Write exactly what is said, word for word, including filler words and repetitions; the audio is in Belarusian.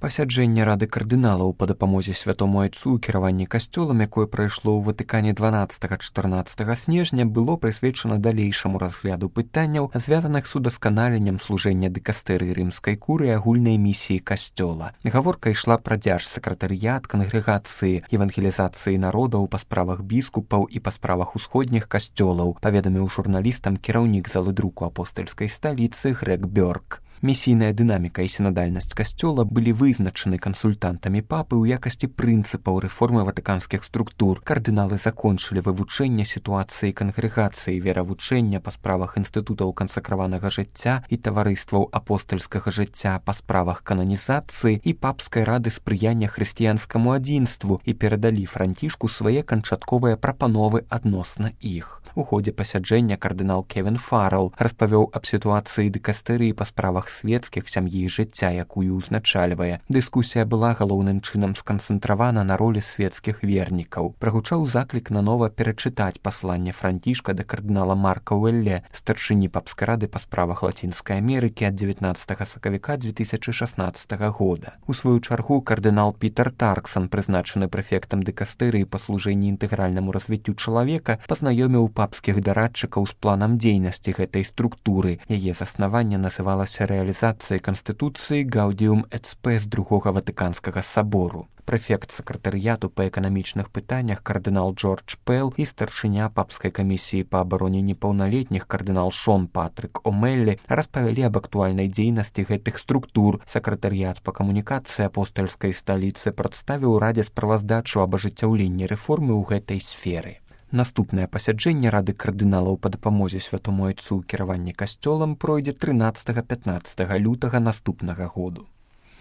Пасяджэнне рады кардыналаў па дапамозе святому айцу ў кіраванні касцёлам, якое прайшло ў Ватыкане дванаццатага-чатырнаццатага снежня, было прысвечана далейшаму разгляду пытанняў, звязаных з удасканаленнем служэння дыкастэрыі рымскай куры і агульнай місіі касцёла. Гаворка ішла пра дзярж-сакратарыят, кангрэгацыі, евангелізацыі народаў па справах біскупаў і па справах усходніх касцёлаў, паведаміў журналістам кіраўнік залы друку апостальскай сталіцы Грег Бёрк. Місійная дынаміка і сінадальнасць касцёла былі вызначаны кансультантамі папы ў якасці прынцыпаў рэформы ватыканскіх структур. Кардыналы закончылі вывучэнне сітуацыі кангрэгацыі, веравучэння па справах інстытутаў кансакраванага жыцця і таварыстваў апостальскага жыцця па справах кананізацыі і папскай рады спрыяння хрысціянскаму адзінству і перадалі Францішку свае канчатковыя прапановы адносна іх. У ходзе пасяджэння кардынал Кевін Фаррелл распавёў аб сітуацыі дыкастэрыі па справах свецкіх, сям'і і жыцця, якую ўзначальвае. Дыскусія была галоўным чынам сканцэнтравана на ролі свецкіх вернікаў. Прагучаў заклік нанова перачытаць пасланне Францішка да кардынала Марка Уэлле, старшыні папскай рады па справах Лацінскай Амерыкі ад дзевятнаццатага сакавіка дзве тысячы шаснаццатага года. У сваю чаргу кардынал Пітер Тарксан, прызначаны прэфектам дыкастэрыі па служэнні інтэгральнаму развіццю чалавека, пазнаёміў папскіх дарадчыкаў з планам дзейнасці гэтай структуры. Яе заснаванне называлася рэалізацыяй канстытуцыі Гаўдіум эт Спэс другога ватыканскага сабору. Прэфект сакратарыяту па эканамічных пытаннях кардынал Джордж Пэл і старшыня папскай камісіі па абароне непаўналетніх кардынал Шон Патрык О'Мэллі распавялі аб актуальнай дзейнасці гэтых структур. Сакратарыят па камунікацыі апостальскай сталіцы прадставіў радзе справаздачу аб ажыццяўленні рэформы ў гэтай сферы. Наступнае пасяджэнне рады кардыналаў па дапамозе святому айцу ў кіраванні касцёлам пройдзе трынаццатага-пятнаццатага лютага наступнага году.